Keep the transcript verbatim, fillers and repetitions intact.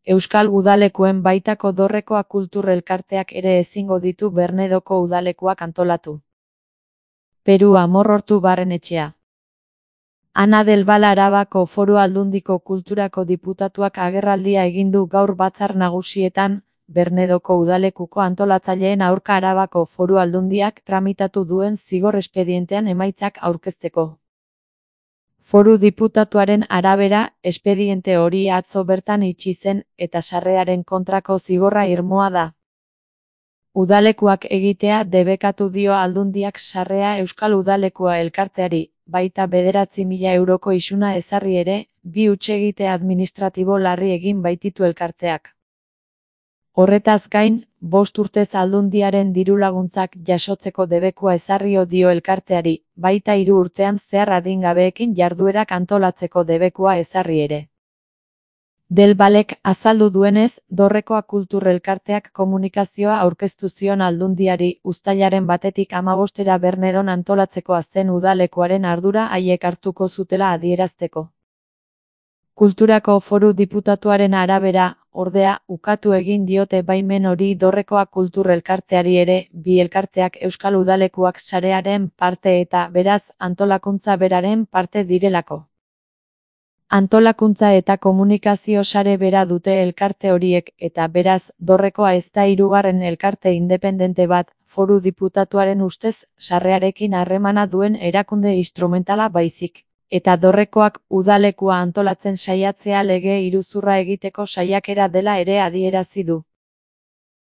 Euskal udalekuen baitako Dorrekoa Kultur Elkarteak ere ezingo ditu Bernedoko udalekuak antolatu. Peru Amorortu Barrenetxea. Ana del Val Arabako Foru Aldundiko Kulturako diputatuak agerraldia egin du gaur batzar nagusietan, Bernedoko udalekuko antolatzaileen aurka Arabako Foru Aldundiak tramitatu duen zigor espedientean emaitzak aurkezteko. Foru diputatuaren arabera, espediente hori atzo bertan itxi zen eta sarrearen kontrako zigorra irmoa da. Udalekuak egitea debekatu dio Aldundiak sarrea Euskal Udalekua elkarteari, baita bederatzi mila euroko isuna ezarri ere, bi hutsegite administratibo larri egin baititu elkarteak. Horretaz gain, bost urtez Aldundiaren dirulaguntzak jasotzeko debekua ezarrio dio elkarteari, baita hiru urtean zehar adingabeekin jarduerak antolatzeko debekua ezarri ere. Del Valek azaldu duenez, Dorrekoa Kultur Elkarteak komunikazioa aurkeztu zion Aldundiari uztailaren batetik hamabostera Bernedon antolatzekoa zen udalekuaren ardura haiek hartuko zutela adierazteko. Kulturako Foru Diputatuaren arabera, ordea, ukatu egin diote baimen hori Dorrekoa Kultur Elkarteari ere, bi elkarteak Euskal Udalekuak sarearen parte eta, beraz, antolakuntza beraren parte direlako. Antolakuntza eta komunikazio sare bera dute elkarte horiek eta beraz, Dorrekoa ez da hirugarren elkarte independente bat, Foru Diputatuaren ustez, sarrearekin harremana duen erakunde instrumentala baizik. Eta Dorrekoak udalekua antolatzen saiatzea lege iruzurra egiteko saiakera dela ere adierazi du.